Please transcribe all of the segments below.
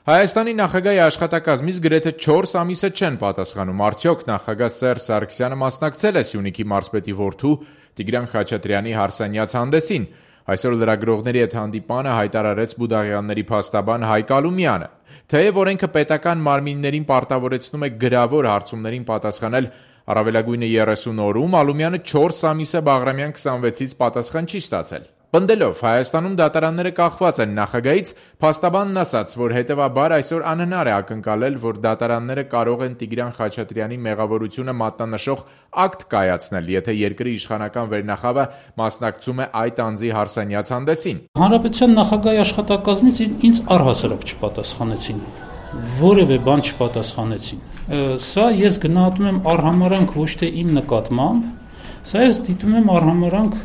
Հայաստանի նախագահի աշխատակազմից գրեթե 4 ամիսը չեն պատասխանում, արդյոք նախագահ Սերժ Սարգսյանը մասնակցել է Սյունիքի մարզպետի որդու Տիգրան Խաչատրյանի հարսանյաց հանդեսին։ Այսօր լրագրողների հետ հանդիպանը հայտարարեց Բուդաղյանների փաստաբան Հայկ Ալումյանը։ Թեև օրենքը պետական մարմիններին պարտավորեցնում է գրավոր հարցումներին պատասխանել առավելագույնը 30 օրում, Ալումյանը 4 ամիս է Բաղրամյան 26-ից պատասխան չի ստացել։ Պնդելով Հայաստանում դատարանները կախված են նախագահից, փաստաբանն ասաց, որ հետևաբար այսօր անհնար է ակնկալել, որ դատարանները կարող են Տիգրան Խաչատրյանի մեղավորությունը մատնանշող ակտ կայացնել, եթե երկրի իշխանական վերնախավը մասնակցում է այդ անձի հարսանյաց հանդեսին։ Հանրապետության նախագահի աշխատակազմից ինձ առհասարակ չպատասխանեցին, որևէ բան չպատասխանեցին։ Սա ես գնահատում եմ արհամարհանք ոչ թե իմ նկատմամբ, սա ես դիտում եմ արհամարհանք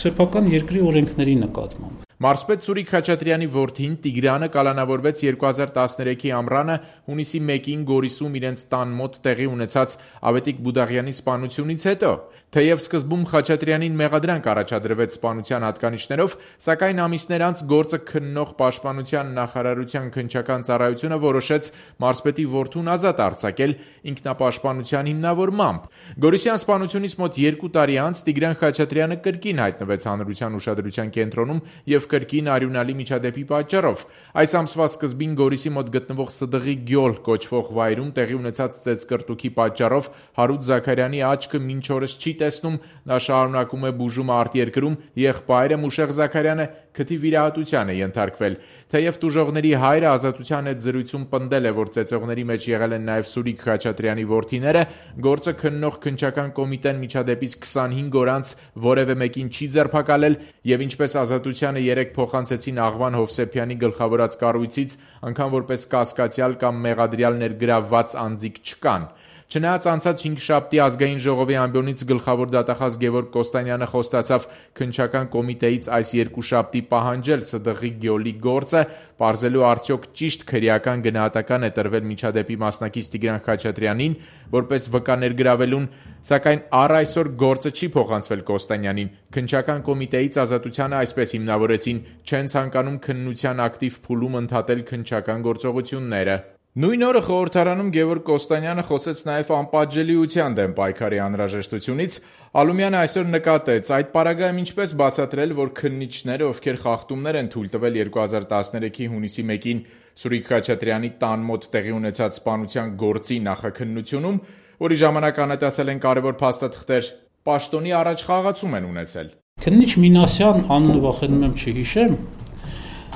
սեփական երկրի օրենքների նկատմամբ։ Մարզպետ Սուրիկ Խաչատրյանի որդին Տիգրանը կալանավորվեց 2013-ի ամռանը հունիսի 1-ին Գորիսում իրենց տան մոտ տեղի ունեցած Ավետիք Բուդաղյանի սպանությունից հետո։ Թեև սկզբում Խաչատրյանին մեղադրանք առաջադրվեց սպանության հատկանիշներով, սակայն ամիսներ անց գործը քննող Պաշտպանության նախարարության քննչական ծառայությունը որոշեց մարզպետի որդուն ազատ արձակել ինքնապաշտպանության հիմնավորմամբ։ Գորիսյան սպանությունից մոտ 2 տարի անց Տիգրան Խաչատրյանը կրկին հայտնվեց հանրության ուշադրության կենտրոնում և կրկին արյունալի միջադեպի պատճառով։ Այս ամսվա սկզբին Գորիսի մոտ գտնվող Սդղի գյոլ կոչվող վայրում տեղի ունեցած ծեծկռտուքի պատճառով Հարութ Զաքարյանի աչքը մինչ օրս չի տեսնում, նա շարունակում է բուժումը արտերկրում, եղբայրը Մուշեղ Զաքարյանը քթի վիրահատության է ենթարկվել։ Թեև տուժողների հայրը Ազատության հետ զրույցում պնդել է, որ ծեծողների մեջ եղել են նաև Սուրիկ Խաչատրյանի որդիները, գործը քննող քննչական կոմիտեն միջադեպից 25 օր անց որևէ մեկին չի ձերբակալել և ինչպես Ազատությանը երեկ փոխանցեցին Աղվան Հովսեփյանի գլխավորած կառույցից, անգամ որպես կասկածյալ կամ մեղադրյալ ներգրավված անձիկ չկան։ Չնայած անցած 5-շաբթի ազգային ժողովի ամբիոնից գլխավոր դատախազ Գևորգ Կոստանյանը խոստացավ քննչական կոմիտեից այս երկուշաբթի պահանջել Սդղի գյոլի գործը, պարզելու արդյոք ճիշտ քրեական գնահատական է տրվել միջադեպի մասնակից Տիգրան Խաչատրյանին, որպես վկա ներգրավելուն, սակայն առ այսօր գործը չի փոխանցվել Կոստանյանին։ Քննչական կոմիտեից Ազատությանը այսպես հիմնավորեցին՝ չեն ցանկանում քննության ակտիվ փուլում ընդհատել քննչական գործողությունները։ Նույն օրը խորհրդարանում Գևորգ Կոստանյանը խոսեց նաև անպատժելիության դեմ պայքարի անհրաժեշտությունից։ Ալումյանը այսօր նկատեց, այդ պարագայում ինչպես բացատրել, որ քննիչները, ովքեր խախտումներ են թույլ տվել 2013-ի հունիսի 1-ին Սուրիկ Խաչատրյանի տան մոտ տեղի ունեցած սպանության գործի նախաքննությունում, որի ժամանակ անհետացել են կարևոր փաստաթղթեր, պաշտոնի առաջ խաղացում են ունեցել։ Քննիչ Մինասյան, անունը վախենում եմ չհիշեմ,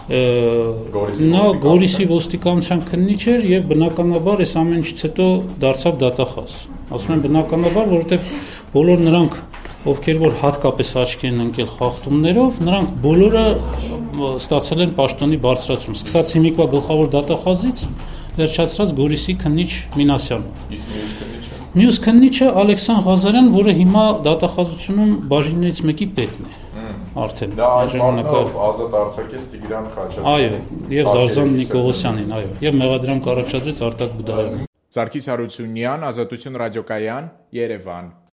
նա Գորիսի ոստիկանության քննիչ էր եւ բնականաբար այս ամեն ինչից հետո դարձավ դատախազ։ Ասում եմ բնականաբար, որովհետեւ բոլոր նրանք, ովքեր որ հատկապես աչքի են ընկել խախտումներով, նրանք բոլորը ստացել են պաշտոնի բարձրացում, սկսած հիմիկվա գլխավոր դատախազից վերջացրած Գորիսի քննիչ Մինասյանով։ Իսկ մյուս քննիչը Ալեքսան Ղազարյան, որը հիմա դատախազությունում բաժիններից մեկի պետն է։ Արդեն դա այս ժամանակով ազատ արձակեց Տիգրան Խաչատրյանին։ Այո, եւ Զազան Նիկողոսյանին, այո, եւ մեղադրանք առաջադրեց Արտակ Բուդաղյանին։ Սարգիս Հարությունյան, Ազատություն ռադիոկայան, Երևան։